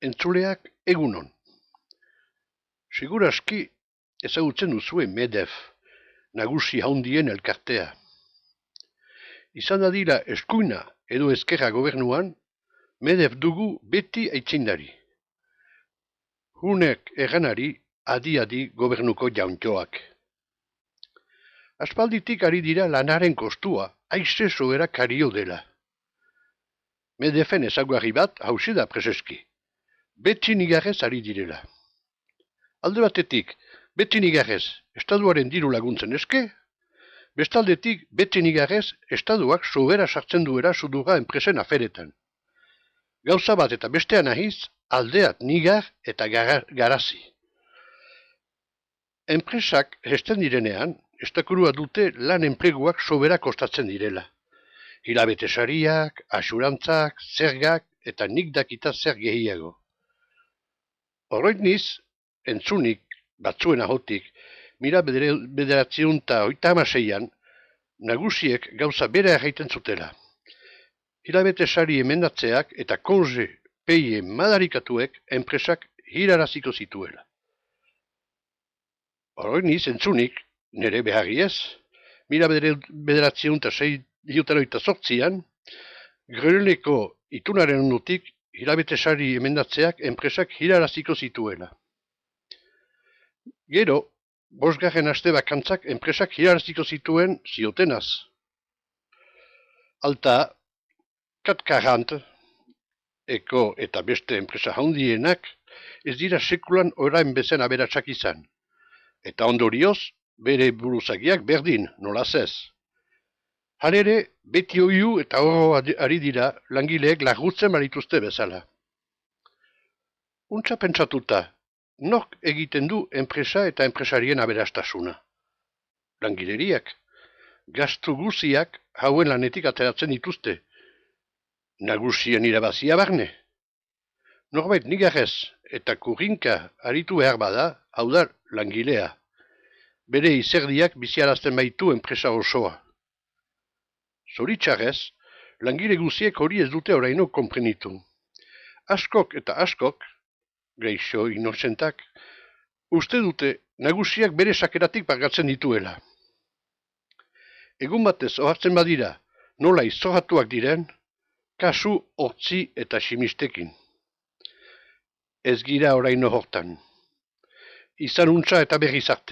Entzuleak egunon. Seguraski ezagutzen duzue MEDEF, nagusi handien elkartea. Izan dadila eskuina edo ezkerra gobernuan, MEDEF dugu beti aitzindari. Hunek erganari adi-adi gobernuko jauntxoak. Aspalditik ari dira lanaren kostua, aize sobera kario dela. MEDEFen ezaugarri bat hauxe da preseski. Beti nigarrez ari direla. Alde batetik, beti nigarrez, estatuaren diru laguntzen eske, bestaldetik, beti nigarrez, estatuak sobera sartzen duera sudurra enpresen aferetan. Gauza bat eta bestean ahiz, aldeat nigar eta garazi. Enpresak hesten direnean, estakurua dute lan enpleguak sobera kostatzen direla. Hilabete sariak, asurantzak, zergak eta nik dakita zer gehiago. Horroit entzunik, batzuen ahotik, mila 1986an, nagusiek gauza bera erraiten zutela. Hilabete sari emendatzeak eta konze peie madarikatuek enpresak hiraraziko zituela. Horroit entzunik, nire beharri ez, mila 1988an, Greneleko itunaren ondotik hilabete sari emendatzeak enpresak hiraraziko zituela. Gero, 5. aste bakantzak enpresak hiraraziko zituen ziotenaz. Alta, Kat-Karant, Eko eta beste enpresa handienak ez dira sekulan orain bezen aberatsak izan. Eta ondorioz, bere buruzagiak berdin, nolaz ez. Halere, beti oiu eta horro ari dira langileek lagutzen barituzte bezala. Untsa pentsatuta, nork egiten du enpresa eta enpresarien aberastasuna? Langileriak, gastu guziak hauen lanetik ateratzen dituzte. Nagusien irabazia barne. Norbait nigarrez eta kurrinka aritu behar bada, hau da langilea. Bere izerdiak biziarazten baitu enpresa osoa. Zoritxarrez, langile guziek hori ez dute oraino konprenitu. Askok eta askok, geixo inozentak, uste dute nagusiak bere sakeratik pagatzen dituela. Egun batez ohartzen badira, nola izorratuak diren, kasu hortzi eta simistekin. Ez gira oraino hortan. Izan untsa eta berriz arte.